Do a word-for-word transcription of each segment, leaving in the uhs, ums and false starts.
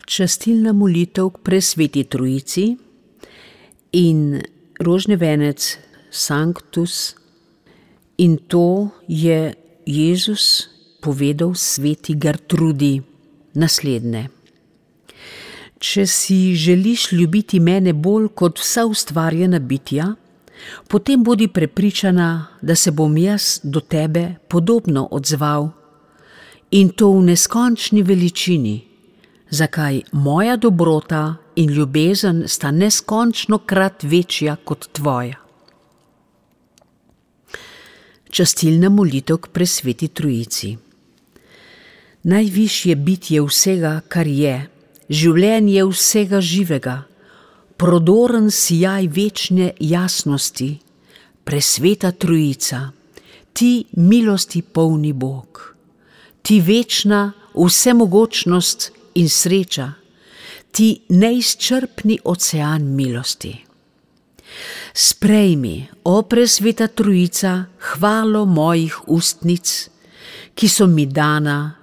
častilna molitev k presveti Trojici in rožni venec Sanctus, in to je Jezus povedal sveti Gertrudi naslednje. Če si želiš ljubiti mene bolj kot vsa ustvarjena bitja, potem bodi prepričana, da se bom jaz do tebe podobno odzval, in to v neskončni veličini, zakaj moja dobrota in ljubezen sta neskončno krat večja kot tvoja. Častilna molitev k presveti Trojici. Najvišje bitje vsega, kar je, življenje vsega živega, prodoren sijaj večne jasnosti, presveta Trojica, ti milosti polni Bog, ti večna vsemogočnost in sreča, ti neizčrpni ocean milosti. Sprejmi, o presveta Trojica, hvalo mojih ustnic, ki so mi dana,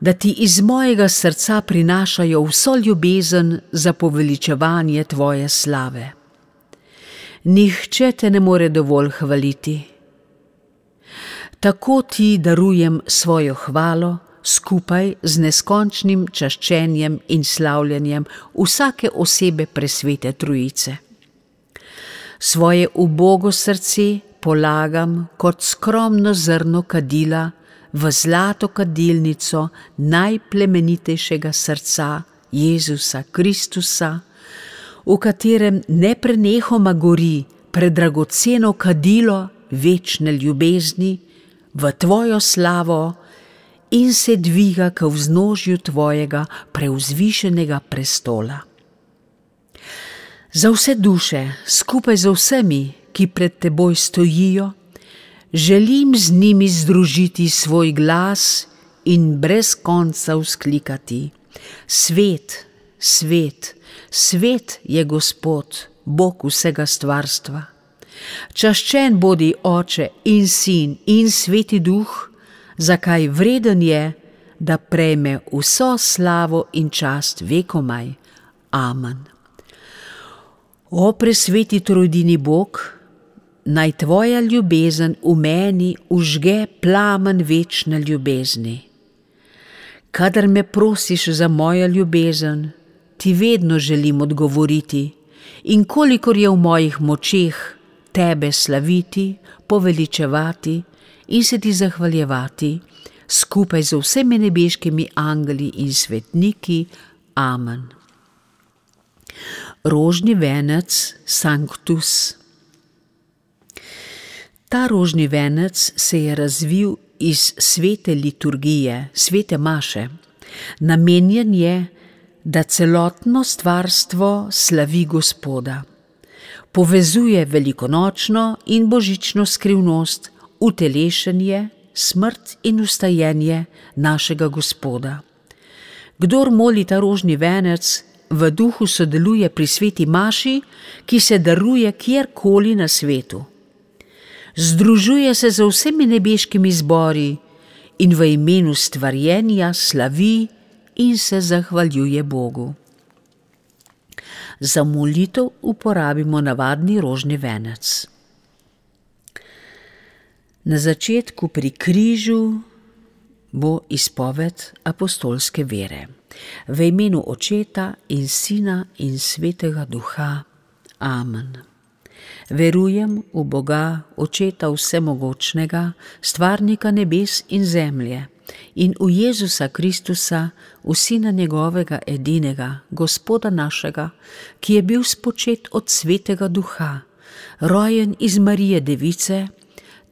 da ti iz mojega srca prinašajo vso ljubezen za poveličevanje tvoje slave. Nihče te ne more dovolj hvaliti. Tako ti darujem svojo hvalo skupaj z neskončnim čaščenjem in slavljanjem vsake osebe presvete Trojice. Svoje ubogo srce polagam kot skromno zrno kadila v zlato kadilnico najplemenitejšega srca Jezusa Kristusa, v katerem neprenehoma gori predragoceno kadilo večne ljubezni v tvojo slavo in se dviga k vznožju tvojega prevzvišenega prestola. Za vse duše, skupaj z vsemi, ki pred teboj stojijo, želim z njimi združiti svoj glas in brez konca vzklikati: Svet, svet, svet je Gospod, Bog vsega stvarstva. Čaščen bodi Oče in Sin in Sveti Duh, zakaj vreden je, da prejme vso slavo in čast vekomaj. Amen. O presveti trojdini Bog, naj tvoja ljubezen v meni užge plamen večne ljubezni. Kadar me prosiš za mojo ljubezen, ti vedno želim odgovoriti, in kolikor je v mojih močeh tebe slaviti, poveličevati in se ti zahvaljevati, skupaj z vsemi nebeškimi angeli in svetniki. Amen. Rožni venec Sanctus. Ta rožni venec se je razvil iz svete liturgije, svete maše. Namenjen je, da celotno stvarstvo slavi Gospoda. Povezuje velikonočno in božično skrivnost, utelešenje, smrt in vstajenje našega Gospoda. Kdor moli ta rožni venec, v duhu sodeluje pri sveti maši, ki se daruje kjerkoli na svetu. Združuje se z vsemi nebeškimi zbori in v imenu stvarjenja slavi in se zahvaljuje Bogu. Za molitev uporabimo navadni rožni venec. Na začetku pri križu bo izpoved apostolske vere. V imenu Očeta in Sina in Svetega Duha. Amen. Verujem v Boga, Očeta vsemogočnega, stvarnika nebes in zemlje, in v Jezusa Kristusa, v Sina njegovega edinega, Gospoda našega, ki je bil spočet od Svetega Duha, rojen iz Marije Device,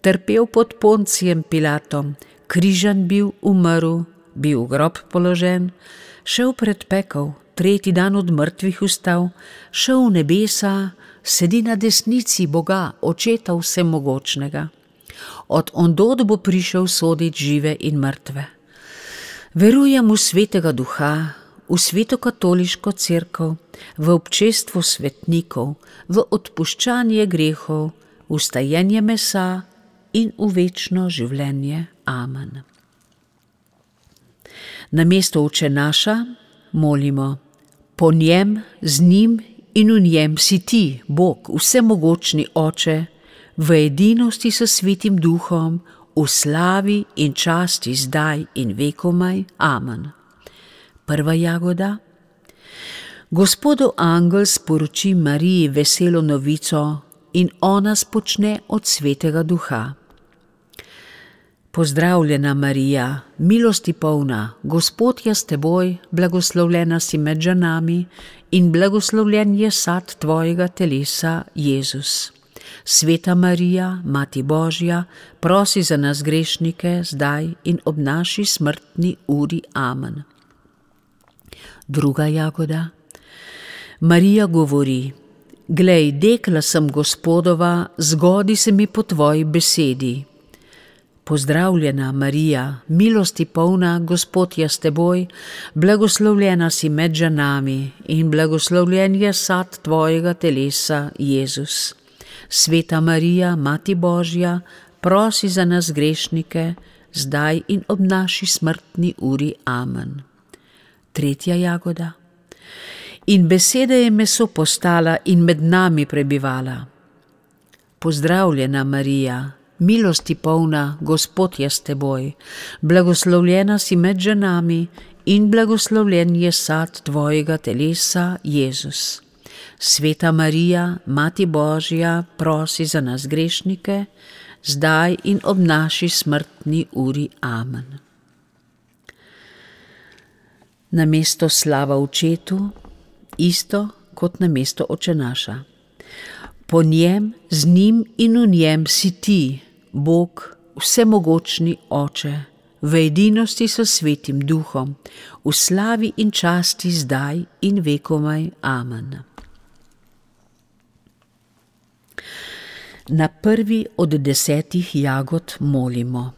trpel pod Poncijem Pilatom, križan bil, umrl, bil v grob položen, šel pred pekel, tretji dan od mrtvih vstal, šel v nebesa, sedi na desnici Boga, Očeta vsemogočnega. Od ondod bo prišel sodit žive in mrtve. Verujem v Svetega Duha, v sveto katoliško cerkev, v občestvo svetnikov, v odpuščanje grehov, v vstajenje mesa in v večno življenje. Amen. Namesto Oče naša molimo: Po njem, z njim in v njem si ti, Bog, vsemogočni Oče, v edinosti s Svetim Duhom, v slavi in časti zdaj in vekomaj. Amen. Prva jagoda. Gospodov angel sporoči Mariji veselo novico in ona spočne od Svetega Duha. Pozdravljena Marija, milosti polna, Gospod je s teboj, blagoslovljena si med ženami in blagoslovljen je sad tvojega telesa, Jezus. Sveta Marija, Mati Božja, prosi za nas grešnike, zdaj in ob naši smrtni uri. Amen. Druga jagoda. Marija govori: Glej, dekla sem Gospodova, zgodi se mi po tvoji besedi. Pozdravljena Marija, milosti polna, Gospod je s teboj, blagoslovljena si med ženami in blagoslovljen je sad tvojega telesa, Jezus. Sveta Marija, Mati Božja, prosi za nas grešnike, zdaj in ob naši smrtni uri. Amen. Tretja jagoda. In beseda je meso postala in med nami prebivala. Pozdravljena Marija, milosti polna, Gospod je s teboj, blagoslovljena si med ženami in blagoslovljen je sad tvojega telesa, Jezus. Sveta Marija, Mati Božja, prosi za nas grešnike, zdaj in ob naši smrtni uri. Amen. Namesto slava Očetu, isto kot namesto Oče naša. Po njem, z njim in v njem si ti, Bog, vsemogočni Oče, v edinosti s Svetim Duhom, v slavi in časti zdaj in vekomaj. Amen. Na prvi od desetih jagod molimo.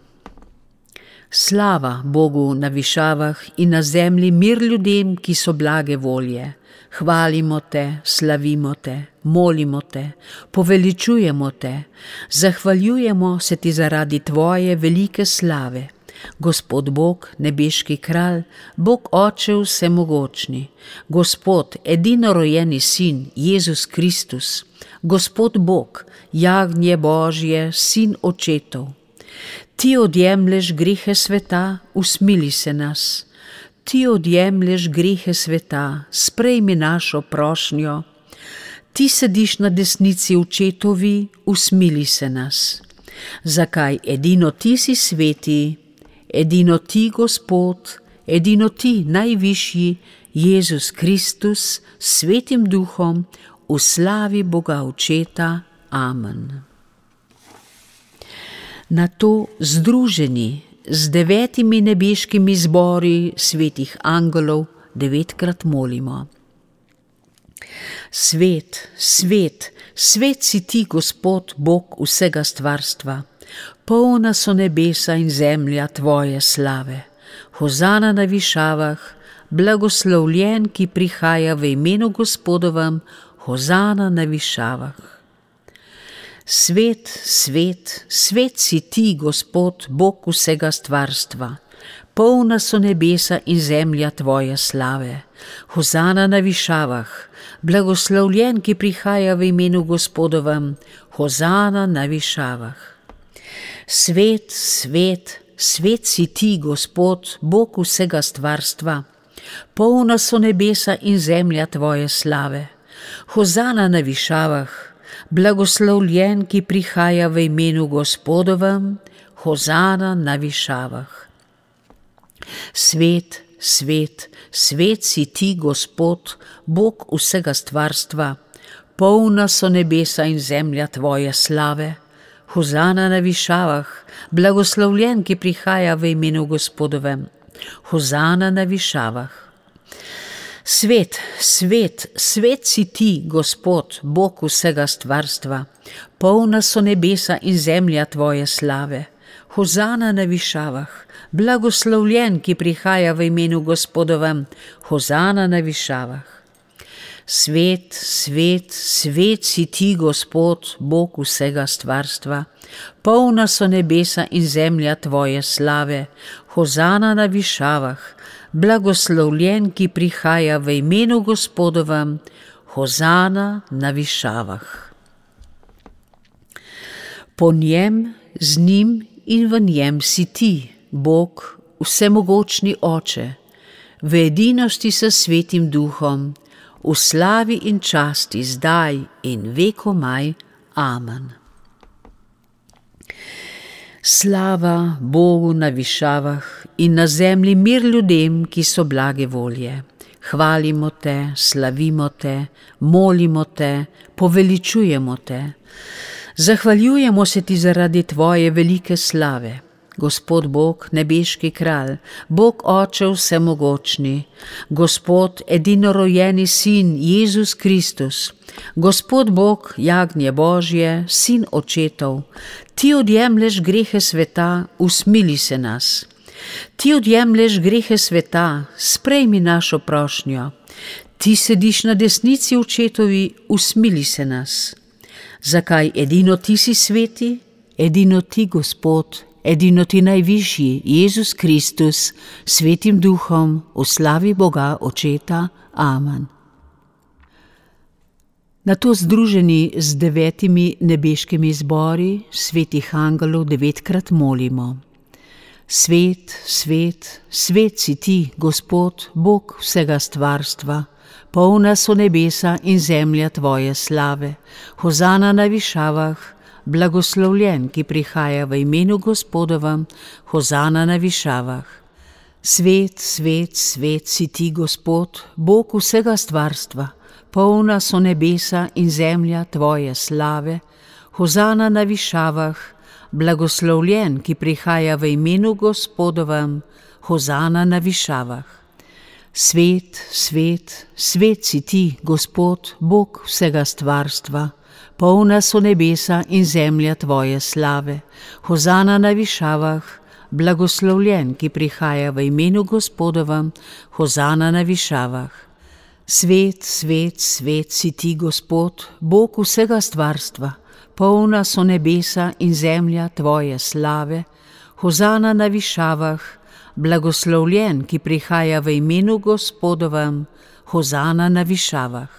Slava Bogu na višavah in na zemlji mir ljudem, ki so blage volje. Hvalimo te, slavimo te, molimo te, poveličujemo te, zahvaljujemo se ti zaradi tvoje velike slave. Gospod Bog, nebeški kralj, Bog Oče vsemogočni, Gospod, edinorojenni Sin, Jezus Kristus, Gospod Bog, jagnje Božje, Sin Očetov. Ti odjemlješ grehe sveta, usmili se nas. Ti odjemlješ grehe sveta, sprejmi našo prošnjo. Ti sediš na desnici Očetovi, usmili se nas. Zakaj edino ti si sveti, edino ti, Gospod, edino ti, najvišji, Jezus Kristus, s Svetim Duhom, v slavi Boga Očeta. Amen. Nato združeni z devetimi nebeškimi zbori svetih angelov devetkrat molimo. Svet, svet, svet si ti, Gospod, Bog vsega stvarstva. Polna so nebesa in zemlja tvoje slave. Hozana na višavah, blagoslovljen, ki prihaja v imenu Gospodovem, hozana na višavah. Svet, svet, svet si ti, Gospod, Bog vsega stvarstva. Polna so nebesa in zemlja tvoje slave. Hozana na višavah, blagoslovljen, ki prihaja v imenu Gospodovem, hozana na višavah. Svet, svet, svet si ti, Gospod, Bog vsega stvarstva. Polna so nebesa in zemlja tvoje slave. Hozana na višavah, blagoslovljen, ki prihaja v imenu Gospodovem, hozana na višavah. Svet, svet, svet si ti, Gospod, Bog vsega stvarstva. Polna so nebesa in zemlja tvoje slave. Hozana na višavah, blagoslovljen, ki prihaja v imenu Gospodovem, hozana na višavah. Svet, svet, svet si ti, Gospod, Bog vsega stvarstva. Polna so nebesa in zemlja tvoje slave. Hozana na višavah, blagoslovljen, ki prihaja v imenu Gospodovem, hozana na višavah. Svet, svet, svet si ti, Gospod, Bog vsega stvarstva. Polna so nebesa in zemlja tvoje slave. Hozana na višavah, blagoslovljen, ki prihaja v imenu Gospodovem, hozana na višavah. Po njem, z njim in v njem si ti, Bog, vsemogočni Oče, v edinosti s Svetim Duhom, v slavi in časti zdaj in vekomaj. Amen. Slava Bogu na višavah in na zemlji mir ljudem, ki so blage volje. Hvalimo te, slavimo te, molimo te, poveličujemo te. Zahvaljujemo se ti zaradi tvoje velike slave. Gospod Bog, nebeški kralj, Bog Oče vsemogočni, Gospod edinorojenji Sin Jezus Kristus, Gospod Bog, jagnje Božje, Sin očetov, ti odjemlješ grehe sveta, usmili se nas. Ti odjemlješ grehe sveta, sprejmi našo prošnjo. Ti sediš na desnici očetovi, usmili se nas. Zakaj edino ti si sveti, edino ti, Gospod, edino ti najvišji, Jezus Kristus, Svetim Duhom, v slavi Boga Očeta. Amen. Nato združeni z devetimi nebeškimi zbori, svetih angelov devetkrat molimo. Svet, svet, svet si ti, Gospod, Bog vsega stvarstva, polna so nebesa in zemlja tvoje slave. Hozana na višavah, blagoslovljen, ki prihaja v imenu Gospodovem, hozana na višavah. Svet, svet, svet si ti, Gospod, Bog vsega stvarstva, polna so nebesa in zemlja tvoje slave. Hozana na višavah, blagoslovljen, ki prihaja v imenu Gospodovem, hozana na višavah. Svet, svet, svet si ti, Gospod, Bog vsega stvarstva, polna so nebesa in zemlja tvoje slave. Hozana na višavah, blagoslovljen, ki prihaja v imenu Gospodovem, hozana na višavah. Svet, svet, svet si ti, Gospod, Bog vsega stvarstva, polna so nebesa in zemlja tvoje slave. Hozana na višavah, blagoslovljen, ki prihaja v imenu Gospodovem, hozana na višavah.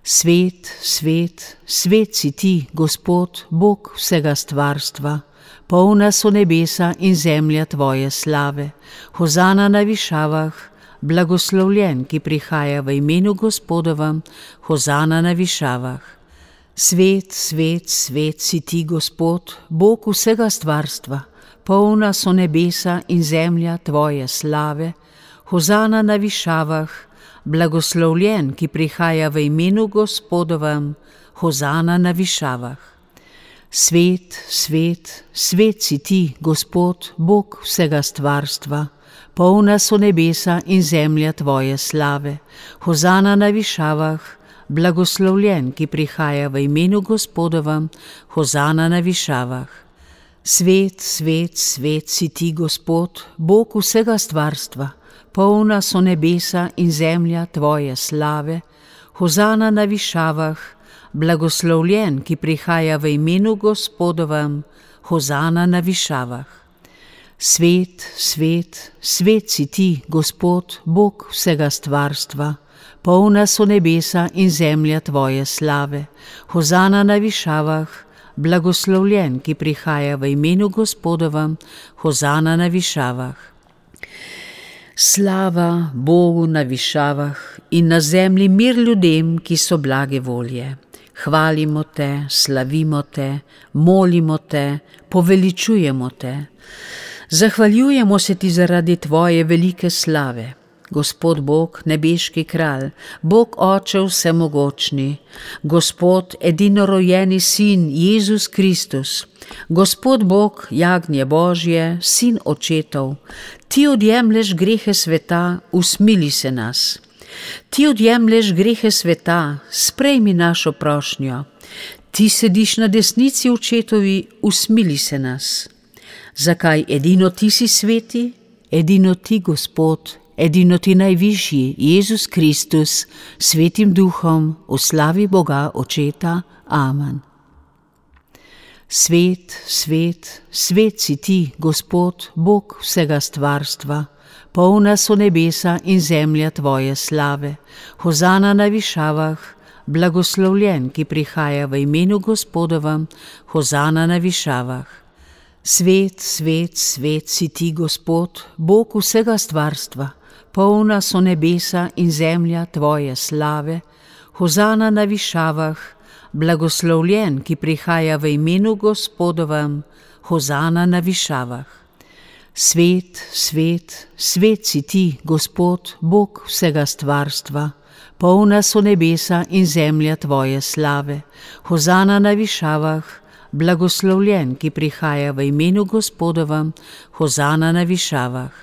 Svet, svet, svet si ti, Gospod, Bog vsega stvarstva, polna so nebesa in zemlja tvoje slave. Hozana na višavah, blagoslovljen, ki prihaja v imenu Gospodovem, hozana na višavah. Svet, svet, svet si ti, Gospod, Bog vsega stvarstva, polna so nebesa in zemlja tvoje slave. Hozana na višavah, blagoslovljen, ki prihaja v imenu Gospodovem, hozana na višavah. Svet, svet, svet si ti, Gospod, Bog vsega stvarstva, polna so nebesa in zemlja tvoje slave. Hozana na višavah, blagoslovljen, ki prihaja v imenu Gospodovem, hozana na višavah. Svet, svet, svet si ti, Gospod, Bog vsega stvarstva, polna so nebesa in zemlja tvoje slave. Hozana na višavah, blagoslovljen, ki prihaja v imenu Gospodovem, hozana na višavah. Svet, svet, svet si ti, Gospod, Bog vsega stvarstva, polna so nebesa in zemlja tvoje slave. Hozana na višavah, blagoslovljen, ki prihaja v imenu Gospodovem, hozana na višavah. Slava Bogu na višavah in na zemlji mir ljudem, ki so blage volje. Hvalimo te, slavimo te, molimo te, poveličujemo te. Zahvaljujemo se ti zaradi tvoje velike slave. Gospod Bog, nebeški kralj, Bog Oče vsemogočni, Gospod edinorojenji Sin Jezus Kristus, Gospod Bog, jagnje Božje, Sin očetov, ti odjemlješ grehe sveta, usmili se nas. Ti odjemlješ grehe sveta, sprejmi našo prošnjo. Ti sediš na desnici očetovi, usmili se nas. Zakaj edino ti si sveti, edino ti, Gospod, edino ti najvišji, Jezus Kristus, Svetim Duhom, v slavi Boga Očeta. Amen. Svet, svet, svet si ti, Gospod, Bog vsega stvarstva, polna so nebesa in zemlja tvoje slave. Hozana na višavah, blagoslovljen, ki prihaja v imenu Gospodovem, hozana na višavah. Svet, svet, svet si ti, Gospod, Bog vsega stvarstva, polna so nebesa in zemlja tvoje slave. Hozana na višavah, blagoslovljen, ki prihaja v imenu Gospodovem, hozana na višavah. Svet, svet, svet si ti, Gospod, Bog vsega stvarstva, polna so nebesa in zemlja tvoje slave. Hozana na višavah, blagoslovljen, ki prihaja v imenu Gospodovem, hozana na višavah.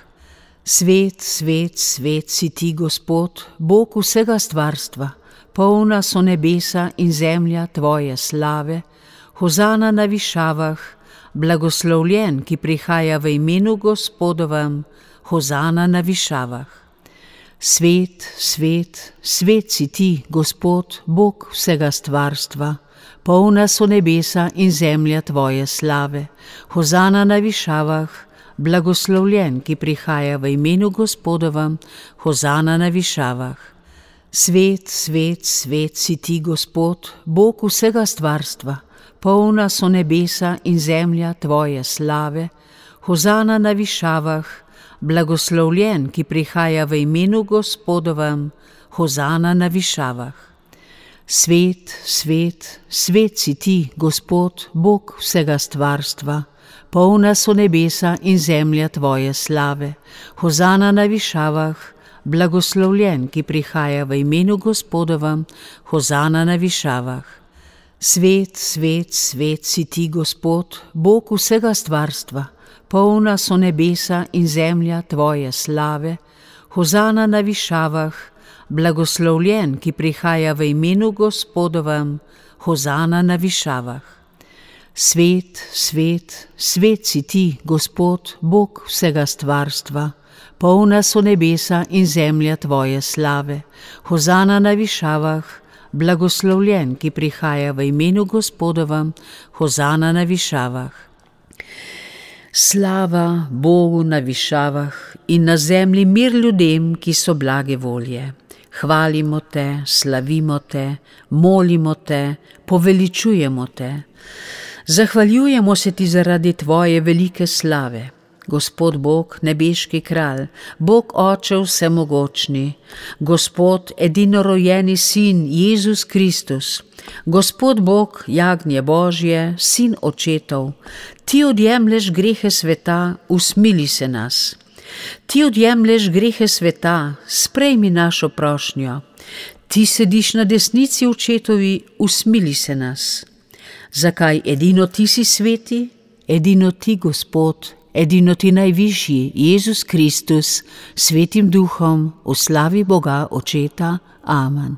Svet, svet, svet si ti, Gospod, Bog vsega stvarstva, polna so nebesa in zemlja tvoje slave. Hozana na višavah, blagoslovljen, ki prihaja v imenu Gospodovem, hozana na višavah. Svet, svet, svet si ti, Gospod, Bog vsega stvarstva, polna so nebesa in zemlja tvoje slave. Hozana na višavah, blagoslovljen, ki prihaja v imenu Gospodovem, hozana na višavah. Svet, svet, svet si ti, Gospod, Bog vsega stvarstva, polna so nebesa in zemlja tvoje slave. Hozana na višavah, blagoslovljen, ki prihaja v imenu Gospodovem, hozana na višavah. Svet, svet, svet si ti, Gospod, Bog vsega stvarstva, polna so nebesa in zemlja tvoje slave. Hozana na višavah, blagoslovljen, ki prihaja v imenu Gospodovem, hozana na višavah. Svet, svet, svet si ti, Gospod, Bog vsega stvarstva, polna so nebesa in zemlja tvoje slave. Hozana na višavah, blagoslovljen, ki prihaja v imenu Gospodovem, hozana na višavah. Svet, svet, svet si ti, Gospod, Bog vsega stvarstva, polna so nebesa in zemlja tvoje slave. Hozana na višavah, blagoslovljen, ki prihaja v imenu Gospodovem, hozana na višavah. Slava Bogu na višavah in na zemlji mir ljudem, ki so blage volje. Hvalimo te, slavimo te, molimo te, poveličujemo te. Zahvaljujemo se ti zaradi tvoje velike slave. Gospod Bog, nebeški kralj, Bog Oče vsemogočni, Gospod edinorojenji Sin Jezus Kristus, Gospod Bog, jagnje Božje, Sin očetov, ti odjemlješ grehe sveta, usmili se nas. Ti odjemlješ grehe sveta, sprejmi našo prošnjo. Ti sediš na desnici očetovi, usmili se nas. Zakaj edino ti si sveti, edino ti, Gospod, edino ti najvišji, Jezus Kristus, svetim duhom, v slavi Boga Očeta. Amen.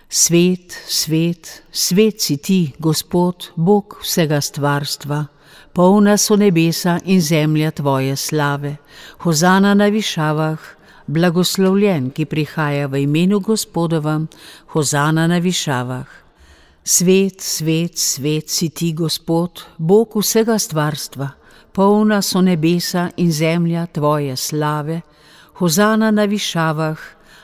Svet, svet, svet si ti, Gospod, Bog vsega stvarstva, polna so nebesa in zemlja tvoje slave. Hozana na višavah, blagoslovljen, ki prihaja v imenu Gospodovem, hozana na višavah. Svet, svet, svet si ti, Gospod, Bog vsega stvarstva, polna so nebesa in zemlja tvoje slave. Hozana na višavah,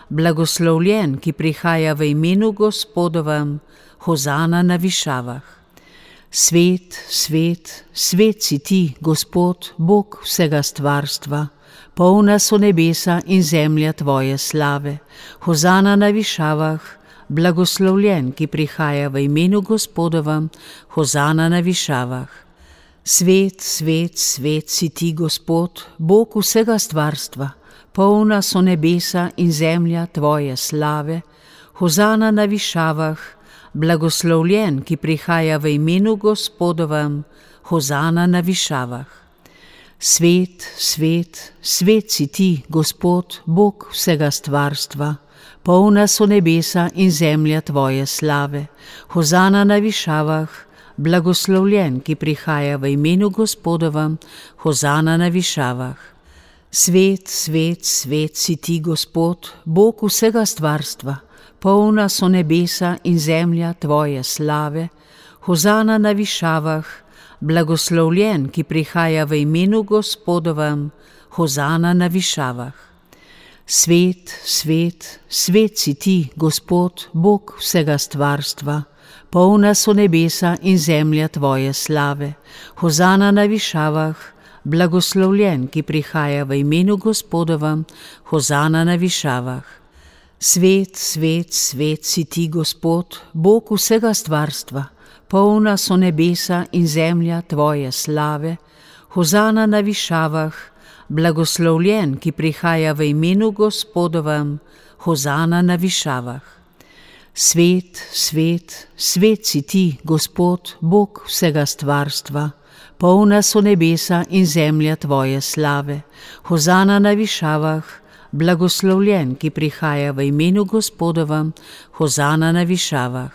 blagoslovljen, ki prihaja v imenu Gospodovem, hozana na višavah. Svet, svet, svet si ti, Gospod, Bog vsega stvarstva, polna so nebesa in zemlja tvoje slave. Hozana na višavah, blagoslovljen, ki prihaja v imenu Gospodovem, hozana na višavah. Svet, svet, svet si ti, Gospod, Bog vsega stvarstva, polna so nebesa in zemlja tvoje slave. Hozana na višavah, blagoslovljen, ki prihaja v imenu Gospodovem, hozana na višavah. Svet, svet, svet si ti, Gospod, Bog vsega stvarstva, polna so nebesa in zemlja tvoje slave. Hozana na višavah, blagoslovljen, ki prihaja v imenu Gospodovem, hozana na višavah. Svet, svet, svet si ti, Gospod, Bog vsega stvarstva, polna so nebesa in zemlja tvoje slave. Hozana na višavah, blagoslovljen, ki prihaja v imenu Gospodovem, hozana na višavah. Svet, svet, svet si ti, Gospod, Bog vsega stvarstva, polna so nebesa in zemlja tvoje slave, hozana na višavah, blagoslovljen, ki prihaja v imenu Gospodovem, hozana na višavah. Svet, svet, svet si ti, Gospod, Bog vsega stvarstva, polna so nebesa in zemlja tvoje slave, hozana na višavah, blagoslovljen, ki prihaja v imenu Gospodovem, hozana na višavah. Svet, svet, svet si ti, Gospod, Bog vsega stvarstva, polna so nebesa in zemlja tvoje slave, hozana na višavah, blagoslovljen, ki prihaja v imenu Gospodovem, hozana na višavah.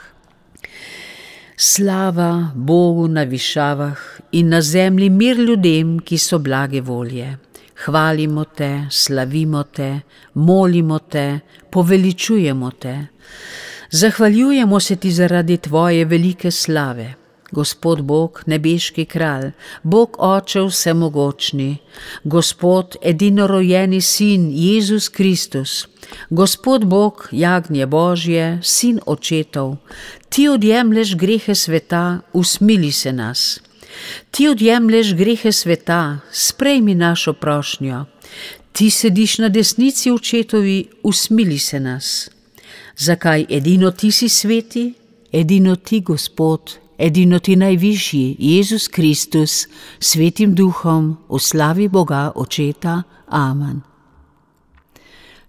Slava Bogu na višavah in na zemlji mir ljudem, ki so blage volje. Hvalimo te, slavimo te, molimo te, poveličujemo te. Zahvaljujemo se ti zaradi tvoje velike slave. Gospod Bog, nebeški kralj, Bog Oče vsemogočni, Gospod edinorojeni Sin Jezus Kristus, Gospod Bog, jagnje Božje, Sin očetov, ti odjemlješ grehe sveta, usmili se nas. Ti odjemlješ grehe sveta, sprejmi našo prošnjo. Ti sediš na desnici očetovi, usmili se nas. Zakaj edino ti si sveti? Edino ti, Gospod, edino ti najvišji, Jezus Kristus, svetim duhom, v slavi Boga Očeta. Amen.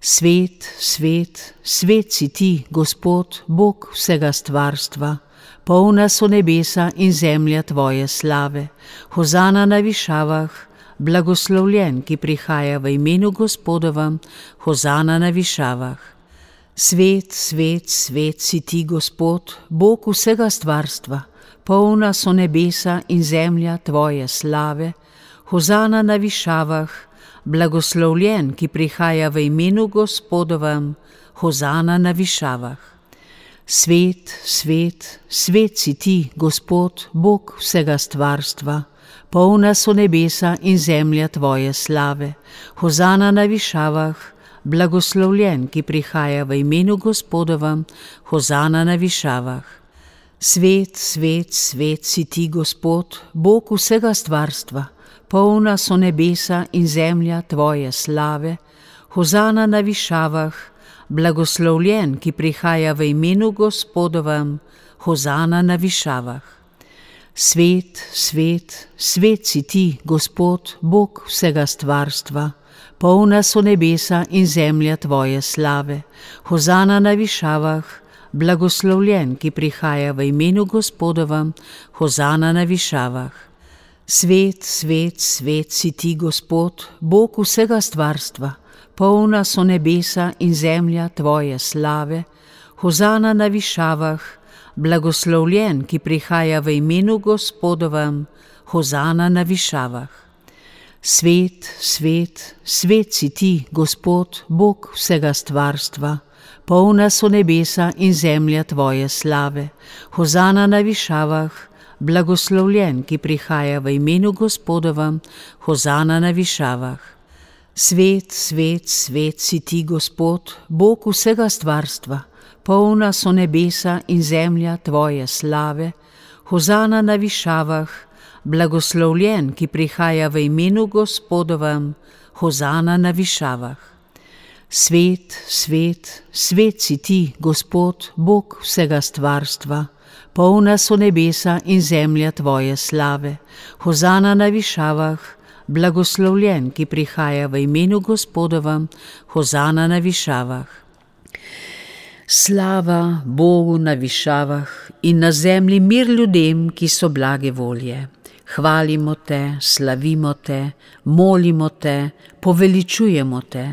Svet, svet, svet si ti, Gospod, Bog vsega stvarstva, polna so nebesa in zemlja tvoje slave, hozana na višavah, blagoslovljen, ki prihaja v imenu Gospodovem, hozana na višavah. Svet, svet, svet si ti, Gospod, Bog vsega stvarstva, polna so nebesa in zemlja tvoje slave, hozana na višavah, blagoslovljen, ki prihaja v imenu Gospodovem, hozana na višavah. Svet, svet, svet si ti, Gospod, Bog vsega stvarstva, polna so nebesa in zemlja tvoje slave, hozana na višavah, blagoslovljen, ki prihaja v imenu Gospodovem, hozana na višavah. Svet, svet, svet si ti, Gospod, Bog vsega stvarstva, polna so nebesa in zemlja tvoje slave, hozana na višavah, blagoslovljen, ki prihaja v imenu Gospodovem, hozana na višavah. Svet, svet, svet si ti, Gospod, Bog vsega stvarstva, polna so nebesa in zemlja tvoje slave, hozana na višavah, blagoslovljen, ki prihaja v imenu Gospodovem, hozana na višavah. Svet, svet, svet si ti, Gospod, Bog vsega stvarstva, polna so nebesa in zemlja tvoje slave, hozana na višavah, blagoslovljen, ki prihaja v imenu Gospodovem, hozana na višavah. Svet, svet, svet si ti, Gospod, Bog vsega stvarstva, polna so nebesa in zemlja tvoje slave, hozana na višavah, blagoslovljen, ki prihaja v imenu Gospodovem, hozana na višavah. Svet, svet, svet si ti, Gospod, Bog vsega stvarstva, polna so nebesa in zemlja tvoje slave, hozana na višavah, blagoslovljen, ki prihaja v imenu Gospodovem, hozana na višavah. Svet, svet, svet si ti, Gospod, Bog vsega stvarstva, polna so nebesa in zemlja tvoje slave, hozana na višavah, blagoslovljen, ki prihaja v imenu Gospodovem, hozana na višavah. Slava Bogu na višavah in na zemlji mir ljudem, ki so blage volje. Hvalimo te, slavimo te, molimo te, poveličujemo te.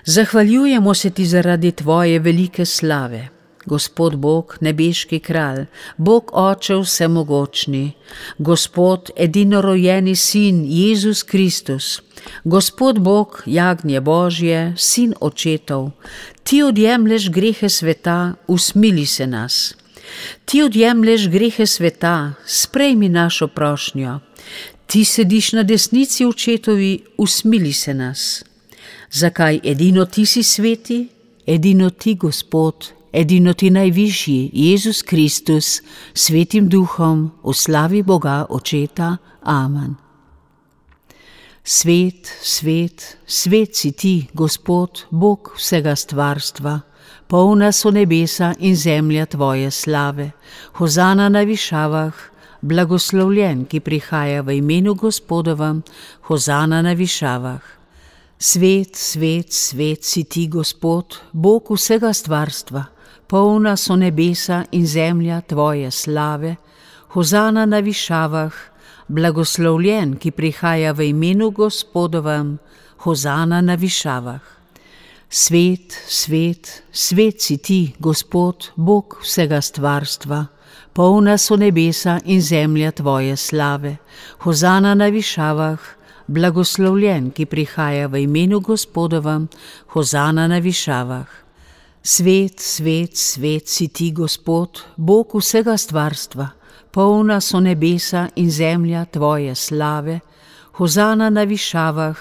Zahvaljujemo se ti zaradi tvoje velike slave. Gospod Bog, nebeški kralj, Bog Oče vsemogočni, Gospod edinorojeni Sin Jezus Kristus, Gospod Bog, jagnje Božje, Sin očetov, ti odjemlješ grehe sveta, usmili se nas. Ti odjemlješ grehe sveta, sprejmi našo prošnjo. Ti sediš na desnici očetovi, usmili se nas. Zakaj edino ti si sveti, edino ti, Gospod, edino ti najvišji, Jezus Kristus, svetim duhom, v slavi Boga Očeta. Amen. Svet, svet, svet si ti, Gospod, Bog vsega stvarstva. Polna so nebesa in zemlja tvoje slave. Hozana na višavah, blagoslovljen, ki prihaja v imenu Gospodovem. Hozana na višavah. Svet, svet, svet si ti, Gospod, Bog vsega stvarstva. Polna so nebesa in zemlja tvoje slave. Hozana na višavah, blagoslovljen, ki prihaja v imenu Gospodovem. Hozana na višavah. Svet, svet, svet si ti, Gospod, Bog vsega stvarstva. Polna so nebesa in zemlja tvoje slave. Hozana na višavah, blagoslovljen, ki prihaja v imenu Gospodovem. Hozana na višavah. Svet, svet, svet si ti, Gospod, Bog vsega stvarstva. Polna so nebesa in zemlja tvoje slave. Hozana na višavah,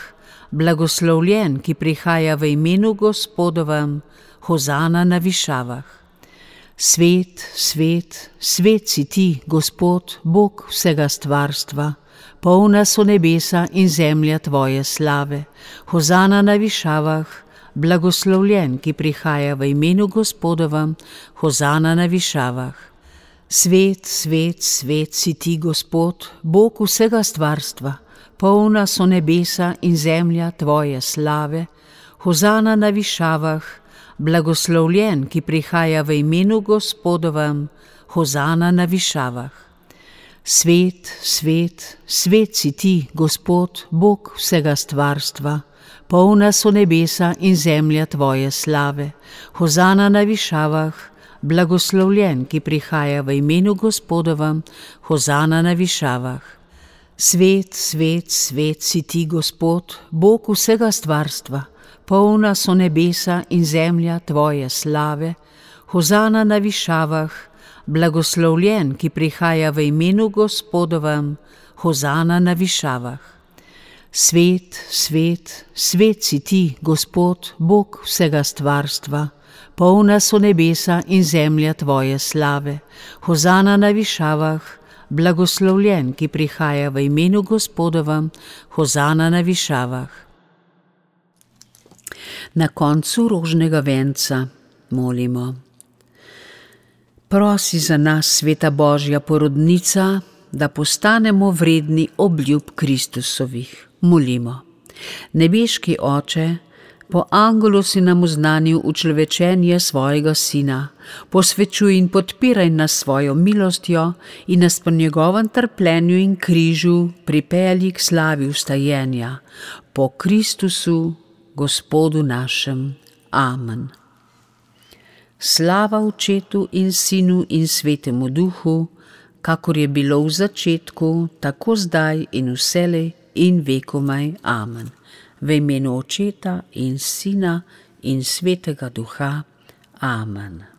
blagoslovljen, ki prihaja v imenu Gospodovem. Hozana na višavah. Svet, svet, svet si ti, Gospod, Bog vsega stvarstva. Polna so nebesa in zemlja tvoje slave. Hozana na višavah, blagoslovljen, ki prihaja v imenu Gospodovem. Hozana na višavah. Svet, svet, svet si ti, Gospod, Bog vsega stvarstva. Polna so nebesa in zemlja tvoje slave. Hozana na višavah, blagoslovljen, ki prihaja v imenu Gospodovem. Hozana na višavah. Svet, svet, svet si ti, Gospod, Bog vsega stvarstva. Polna so nebesa in zemlja tvoje slave. Hozana na višavah, blagoslovljen, ki prihaja v imenu Gospodovem. Hozana na višavah. Svet, svet, svet si ti, Gospod, Bog vsega stvarstva. Polna so nebesa in zemlja tvoje slave. Hozana na višavah, blagoslovljen, ki prihaja v imenu Gospodovem. Hozana na višavah. Svet, svet, svet si ti, Gospod, Bog vsega stvarstva. Polna so nebesa in zemlja tvoje slave. Hozana na višavah, blagoslovljen, ki prihaja v imenu Gospodovem. Hozana na višavah. Na koncu rožnega venca molimo. Prosi za nas, sveta Božja porodnica, da postanemo vredni obljub Kristusovih. Molimo. Nebeški Oče, po angelu si nam oznanil učlovečenje svojega Sina. Posvečuj in podpiraj nas svojo milostjo in nas po njegovem trpljenju in križu pripelji k slavi vstajenja. Po Kristusu, Gospodu našem. Amen. Slava Očetu in Sinu in Svetemu Duhu, kakor je bilo v začetku, tako zdaj in vselej in vekomaj. Amen. V imenu Očeta in Sina in Svetega Duha. Amen.